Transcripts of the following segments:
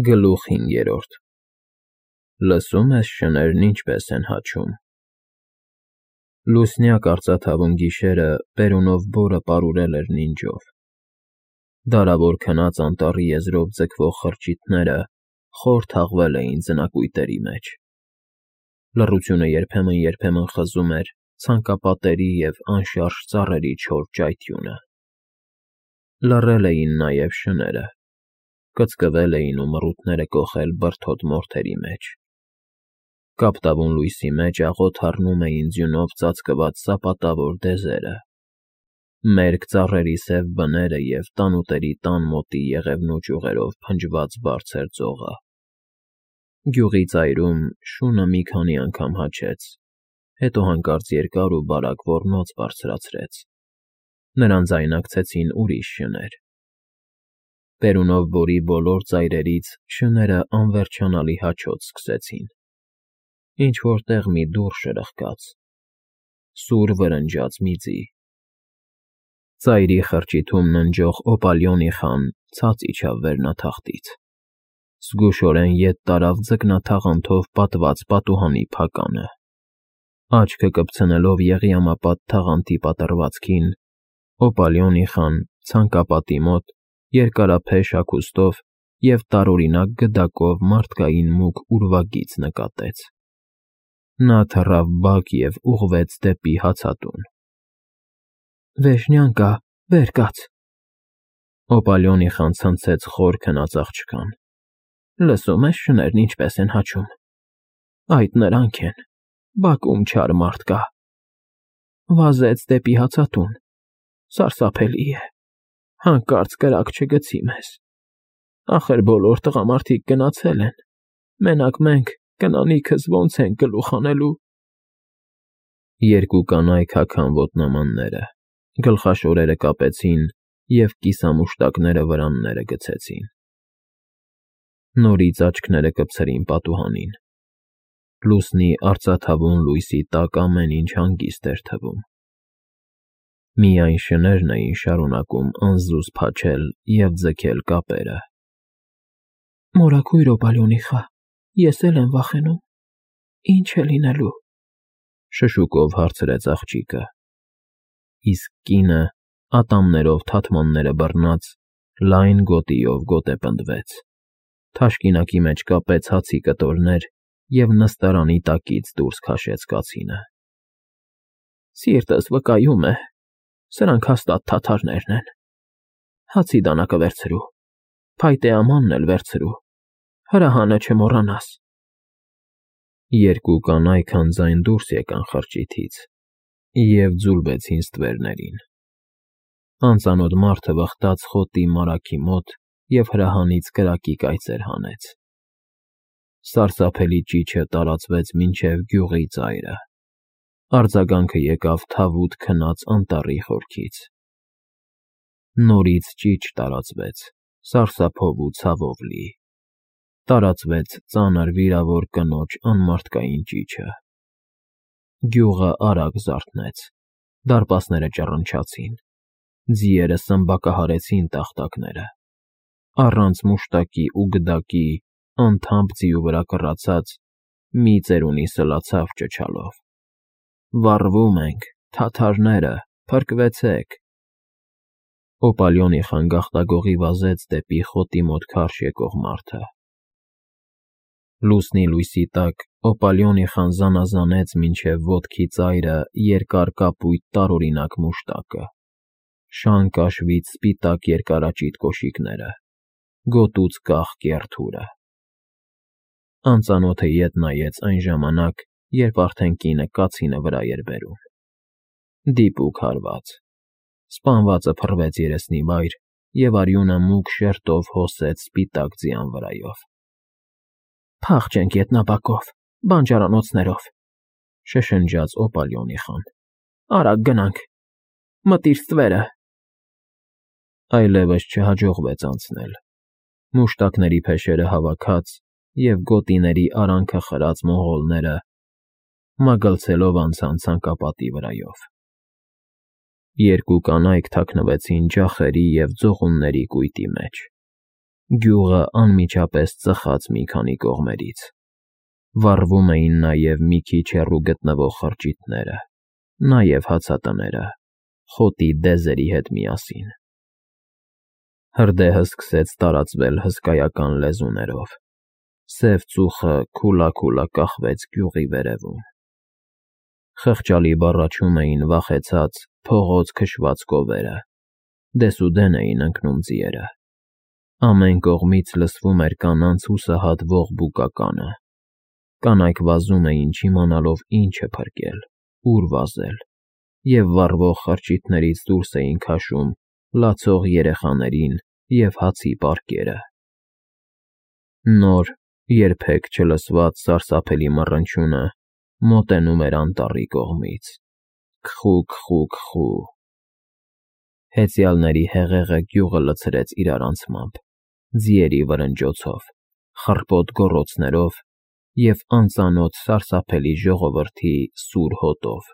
Գլուխ 5. Լսում ես շներն ինչպես են հաչում։ Լուսնյակ արծաթավուն գիշերը բերունով բորը պարուրել էր նինջով։ Դարավոր քնած անտառի եզրով ձգվող խրճիթները խոր թաղվել էին ձնակույտերի մեջ։ Լռությունը երբեմն խզում էր ցանկապատերի և անշարժ ծառերի չոր ճայթյունը։ Լռել էին նաև շները, կծկվել էին ու մռութները կոխել բրդոտ մորթերի մեջ։ Կապտավուն լույսի մեջ աղոտ հառնում էին ձյունով ծածկված սապատավոր դեզերը, մերկ ծառերի սև բները և տանուտերի տան մոտի եղևնու ճյուղերով փնջված բարձր ծողը։ Գյուղի ծայրում շունը մի քանի անգամ հաչեց, հետո հանկարծ երկար ու բարակ ոռնոց բարձրացրեց։ Նրան ձայնակցեցին ուրիշ շներ։ Բերունով բորի բոլոր ծայրերից շները անվերջանալի հաչոց սկսեցին։ Ինչ-որ տեղ մի դուռ շրխկաց, սուր վրնջաց մի ձի։ Ծայրի խրճիթում ննջող Օպալիոնի խան ցած իջավ վերնաթախտից։ Զգուշորեն ետ տարավ ձկնաթաղանթով պատված պատուհանի փականը։ Աչքը կպցնելով եղիամապատ թաղանթի պատռվածքին, Օպալիոնի խան ցանկապատի մոտ երկարափեշ հագուստով և տարօրինակ գդակով մարդկային մուգ ուրվագիծ նկատեց։ Նա թռավ բակ և ուղղվեց դեպի հացատուն։ «Վեժնյան կա, վեր կաց»։ Օպալիոնի խան ցնցեց խոր քնած աղջկան։ «Լսում ես շներն ինչպես են հաչում։ Այդ նրանք են, բակում չար մարդ կա։ Վազեց դեպի հացատուն, սարսափելի է, հանկարծ կրակ չգցի մեզ։ Ախր բոլոր տղամարդիկ գնացել են, մենակ մենք կնանիքս ոնց ենք գլուխ հանելու»։ Երկու կանայք հագան ոտնամանները, գլխաշորերը կապեցին և կիսամուշտակները վրանները գցեցին։ Նորից աչքները կպցրին պատուհանին։ Լուսնի արծաթավուն լույսի տակ ամեն ինչ հանգիստ էր թվում։ Միայն շներն էին շարունակում անզուզ փաչել և ձգել կապերը։ «Մորաքույր Օպալիոնի խա, ես էլ եմ վախենում, ինչ է լինելու», շշուկով հարցրեց աղջիկը։ Իսկ կինը, ատամներով թաթմանները բռնած, լայն գոտիով գոտեպնդվեց, թաշկինակի մեջ կապեց հացի կտորներ և նստարանի տակից դուրս քաշեց կացինը։ «Սիրտս վկայում է, սրանք հաստատ թաթարներն են։ Հացի դանակը վերցրու, փայտե ամանն էլ վերցրու, հրահանը չմոռանաս»։ Երկու կանայք անձայն դուրս եկան խրճիթից և ձուլվեցին ստվերներին։ Անծանոթ մարդը վխտաց խոտի մարագի մոտ և հրահանից կրակի կայծեր հանեց։ Սարսափելի ճիչը տարածվեց մինչև գյուղի ծայրը։ Արձագանքը եկավ թավուտ քնած անտառի խորքից։ Նորից ճիչ տարածվեց, սարսափով ու ցավով լի։ Տարածվեց ծանր վիրավոր կնոջ անմարդկային ճիչը։ Գյուղը արագ զարթնեց, դարպասները ճռնչացին, ձիերը սմբակահարեցին տախտակները։ Առանց մուշտակի ու գդակի, անթամբ ձիու վրա կռացած, մի ծերունի սլացավ ճչալով. «Վառվում ենք, թաթարները, փրկվեցեք»։ Օպալիոնի խան գաղտագողի վազեց դեպի խոտի մոտ քարշ եկող մարդը։ Լուսնի լույսի տակ Օպալիոնի խան զանազանեց մինչև ոտքի ծայրը երկար կապույտ տարօրինակ մուշտակը, շան կաշվից սպիտակ երկարաճիտ կոշիկները, գոտուց կախ կեռ թուրը։ Անծանոթը ետ նայեց այն ժամանակ, երբ արդեն կինը կացինը վրա էր բերում։ Դիպուկ հարված։ Սպանվածը փռվեց երեսնի վայր, և արյունը մուգ շերտով հոսեց սպիտակ ձյան վրայով։ «Փախչենք ետնաբակով, բանջարանոցներով», շշնջաց Օպալիոնի խան։ «Արագ գնանք, մտիր ստվերը»։ Այլևս չհաջողվեց անցնել։ Մուշտակների փեշերը հավաքած և գոտիների արանքը խրած մոնղոլները մագլցելով անցան ցանկապատի վրայով։ Երկու կանայք թաքնվեցին ջախերի և ձողունների կույտի մեջ։ Գյուղը անմիջապես ծխաց մի քանի կողմերից։ Վառվում էին նաև մի քիչ հեռու գտնվող խրճիթները, նաև հացատները, խոտի դեզերի հետ միասին։ Հրդեհը սկսեց տարածվել հսկայական լեզուներով։ Սև ծուխը քուլա-քուլա կախվեց գյուղի վերևում։ Խղճալի բառաչում էին վախեցած, փողոց քշված կովերը, դեսուդեն էին ընկնում ձիերը։ Ամեն կողմից լսվում էր կանանց հուսահատ ողբուկականը։ Կանայք վազում էին, չիմանալով ինչ է փրկել, ուր վազել, և վառվող խրճիթներից դուրս էին քաշում լացող երեխաներին և հացի պարկերը։ Նոր, երբեք չլսված սարսափելի մռնչյունը մոտենում էր անտառի կողմից. քխու։ Հեծյալների հեղեղը գյուղը լցրեց իրարանցմամբ, ձիերի վրնջոցով, խռպոտ գոռոցներով և անծանոթ սարսափելի ժողովրդի սուր հոտով։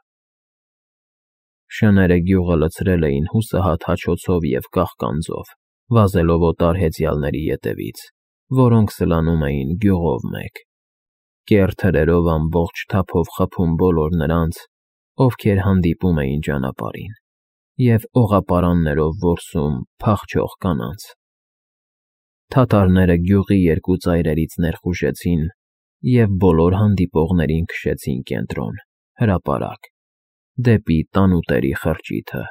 Շները գյուղը լցրել էին հուսահատ հաչոցով և կաղկանձով, վազելով օտար հեծյալների ետևից, որոնք սլանում էին գյուղով մեկ, կեռ թրերով ամբողջ թափով խփում բոլոր նրանց, ովքեր հանդիպում էին ճանապարհին, և օղապարաններով որսում փախչող կանանց։ Թաթարները գյուղի երկու ծայրերից ներխուժեցին և բոլոր հանդիպողներին քշեցին կենտրոն, հրապարակ, դեպի տանուտերի խրճիթը։